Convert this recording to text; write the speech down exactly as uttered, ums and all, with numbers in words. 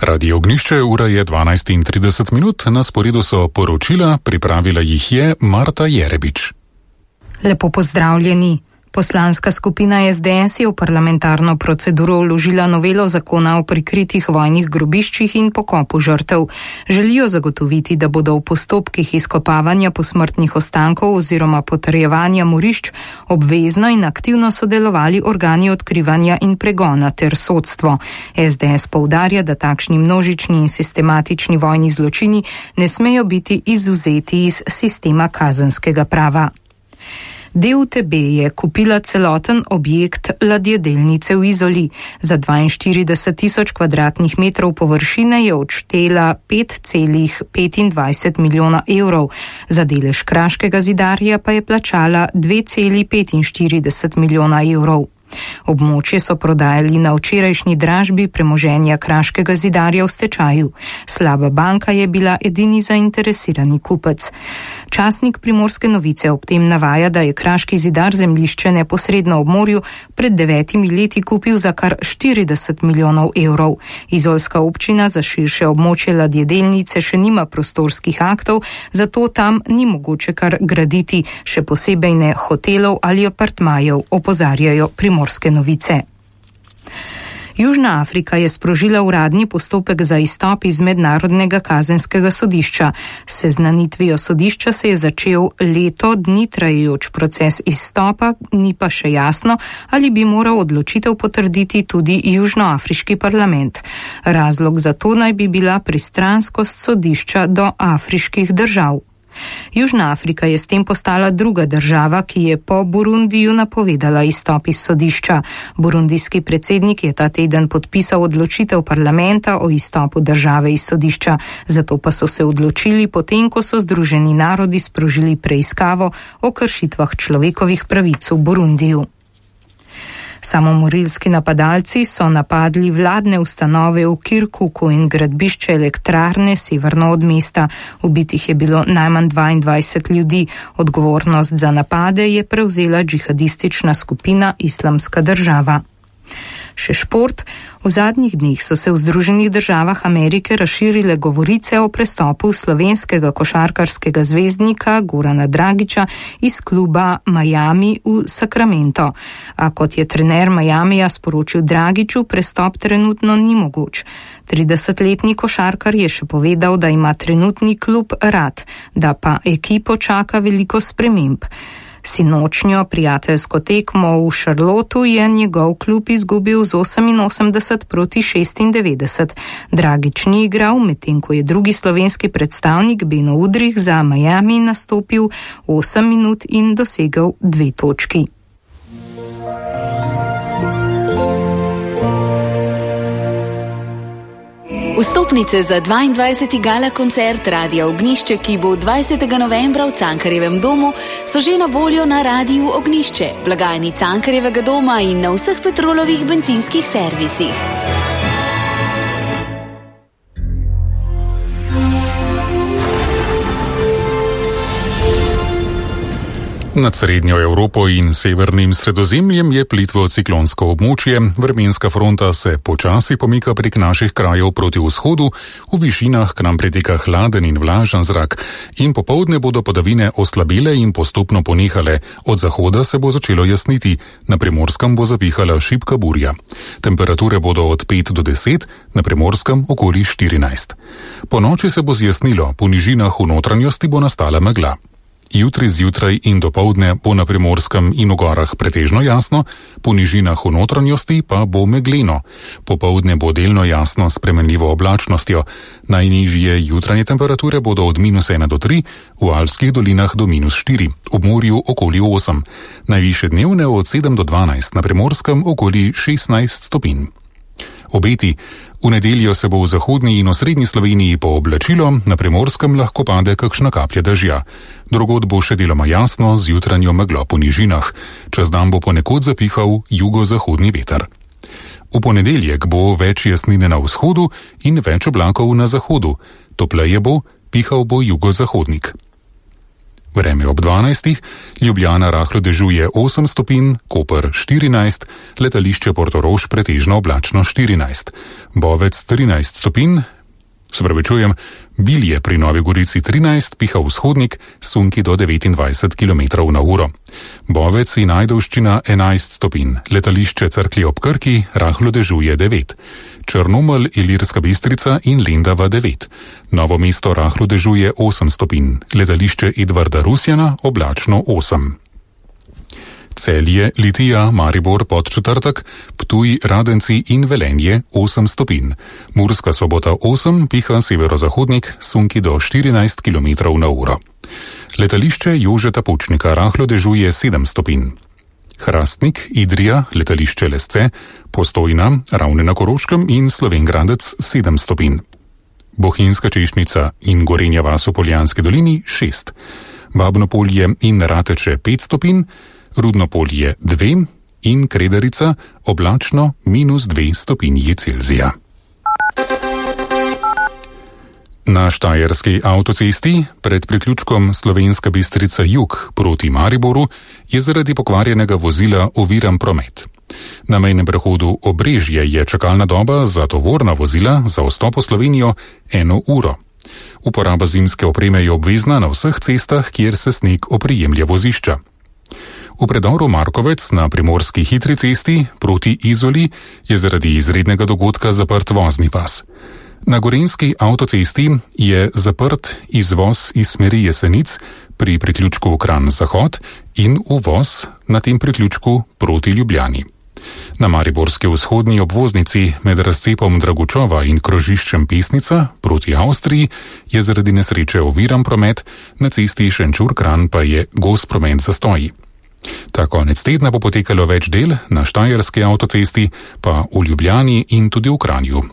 Radio Ognišče, ura je dvanajst in trideset minut, na sporedu so poročila, pripravila jih je Marta Jerebič. Lepo pozdravljeni. Poslanska skupina es de es je v parlamentarno proceduro vložila novelo zakona o prikritih vojnih grobiščih in pokopu žrtev. Želijo zagotoviti, da bodo v postopkih izkopavanja posmrtnih ostankov oziroma potrjevanja morišč obvezno in aktivno sodelovali organi odkrivanja in pregona ter sodstvo. es de es poudarja, da takšni množični in sistematični vojni zločini ne smejo biti izvzeti iz sistema kazenskega prava. D U T B je kupila celoten objekt ladjedelnice v Izoli. Za dvainštirideset tisoč kvadratnih metrov površine je odštela pet celih petindvajset milijona evrov. Za delež Kraškega zidarja pa je plačala dve celih petinštirideset milijona evrov. Območje so prodajali na včerajšnji dražbi premoženja Kraškega zidarja v stečaju. Slaba banka je bila edini zainteresirani kupec. Časnik Primorske novice ob tem navaja, da je Kraški zidar zemljišče neposredno ob morju pred devetimi leti kupil za kar štirideset milijonov evrov. Izolska občina za širše območje ladjedelnice še nima prostorskih aktov, zato tam ni mogoče kar graditi, še posebej ne hotelov ali apartmajev, opozarjajo Primorske novice. Južna Afrika je sprožila uradni postopek za izstop iz mednarodnega kazenskega sodišča. S seznanitvijo sodišča se je začel leto dni trajajoč proces izstopa, ni pa še jasno, ali bi moral odločitev potrditi tudi južnoafriški parlament. Razlog za to naj bi bila pristranskost sodišča do afriških držav. Južna Afrika je s tem postala druga država, ki je po Burundiju napovedala izstop iz sodišča. Burundijski predsednik je ta teden podpisal odločitev parlamenta o izstopu države iz sodišča, zato pa so se odločili potem, ko so Združeni narodi sprožili preiskavo o kršitvah človekovih pravic v Burundiju. Samomorilski napadalci so napadli vladne ustanove v Kirkuku in gradbišče elektrarne severno od mesta. Ubitih je bilo najmanj dvaindvajset ljudi. Odgovornost za napade je prevzela džihadistična skupina Islamska država. Še šport. V zadnjih dneh so se v Združenih državah Amerike razširile govorice o prestopu slovenskega košarkarskega zvezdnika Gorana Dragića iz kluba Miami v Sacramento. A kot je trener Miamija sporočil Dragiću, prestop trenutno ni mogoč. tridesetletni košarkar je še povedal, da ima trenutni klub rad, da pa ekipo čaka veliko sprememb. Sinočnjo prijateljsko tekmo v Charlotteu je njegov klub izgubil z oseminosemdeset proti šestindevetdeset. Dragić ni igral, medtem ko je drugi slovenski predstavnik Beno Udrih za Miami nastopil osem minut in dosegel dve točki. Vstopnice za dvaindvajseti gala koncert Radia Ognišče, ki bo dvajsetega novembra v Cankarjevem domu, so že na voljo na Radiu Ognišče, blagajni Cankarjevega doma in na vseh Petrolovih bencinskih servisih. Nad srednjo Evropo in severnim Sredozemljem je plitvo ciklonsko območje, vremenska fronta se počasi pomika prek naših krajev proti vzhodu, v višinah k nam priteka hladen in vlažen zrak in popoldne bodo padavine oslabile in postopno ponehale, od zahoda se bo začelo jasniti, na Primorskem bo zapihala šibka burja. Temperature bodo od pet do deset, na Primorskem okoli štirinajst. Po noči se bo zjasnilo, po nižinah v notranjosti bo nastala megla. Jutri zjutraj in dopoldne bo na Primorskem in v gorah pretežno jasno, po nižinah v notranjosti pa bo megleno. Popoldne bo delno jasno s spremenljivo oblačnostjo. Najnižje jutranje temperature bodo od minus ena do tri, v Alpskih dolinah do minus štiri, ob morju okoli osem. Najvišje dnevne od sedem do dvanajst, na Primorskem okoli šestnajst stopinj. Obeti. V nedeljo se bo v zahodni in osrednji Sloveniji pooblačilo, na Primorskem lahko pade kakšna kaplja dežja. Drugod bo še deloma jasno z jutranjo meglo po nižinah. Čez dan bo ponekod zapihal jugozahodni veter. V ponedeljek bo več jasnine na vzhodu in več oblakov na zahodu. Topleje bo, pihal bo jugozahodnik. Vreme ob dvanajstih, Ljubljana rahlo dežuje osem stopinj, Koper štirinajst, letališče Portorož pretežno oblačno štirinajst, Bovec trinajst stopinj, se pravi čujem, Bilje pri Novi Gorici trinajst, piha vzhodnik, sunki do devetindvajset kilometrov na uro. Bovec in Ajdovščina enajst stopinj, letališče Cerklje ob Krki rahlo dežuje devet, Črnomelj, Ilirska Bistrica in Lendava devet, Novo mesto rahlo dežuje osem stopinj, letališče Edvarda Rusjana oblačno osem. Celje, Litija, Maribor, Podčetrtek, Ptuj, Radenci in Velenje osem stopinj. Murska Sobota osem, piha severozahodnik, sunki do štirinajst kilometrov na uro. Letališče Jožeta Pučnika rahlo dežuje sedem stopinj. Hrastnik, Idrija, letališče Lesce, Postojna, Ravne na Koroškem in Slovenj sedem stopinj. Bohinjska Češnjica in Gorenja vas v Poljanski dolini šest. Babno Polje in Rateče pet stopinj, Rudno Polje dve in Kredarica oblačno minus dve stopinji Celzija. Na Štajerski avtocesti pred priključkom Slovenska Bistrica jug proti Mariboru je zaradi pokvarjenega vozila oviran promet. Na mejnem prehodu Obrežje je čakalna doba za tovorna vozila za vstop v Slovenijo eno uro. Uporaba zimske opreme je obvezna na vseh cestah, kjer se sneg oprijemlja vozišča. V predoru Markovec na primorski hitri cesti proti Izoli je zaradi izrednega dogodka zaprt vozni pas. Na gorenjski avtocesti je zaprt izvoz iz smeri Jesenic pri priključku Kranj-Zahod in uvoz na tem priključku proti Ljubljani. Na mariborski vzhodni obvoznici med razcepom Dragučova in krožiščem Pesnica proti Avstriji je zaradi nesreče oviran promet, na cesti Šenčur-Kranj pa je gost promet zastoji. Ta konec tedna bo potekalo več del, na Štajerski avtocesti pa v Ljubljani in tudi v Kranju.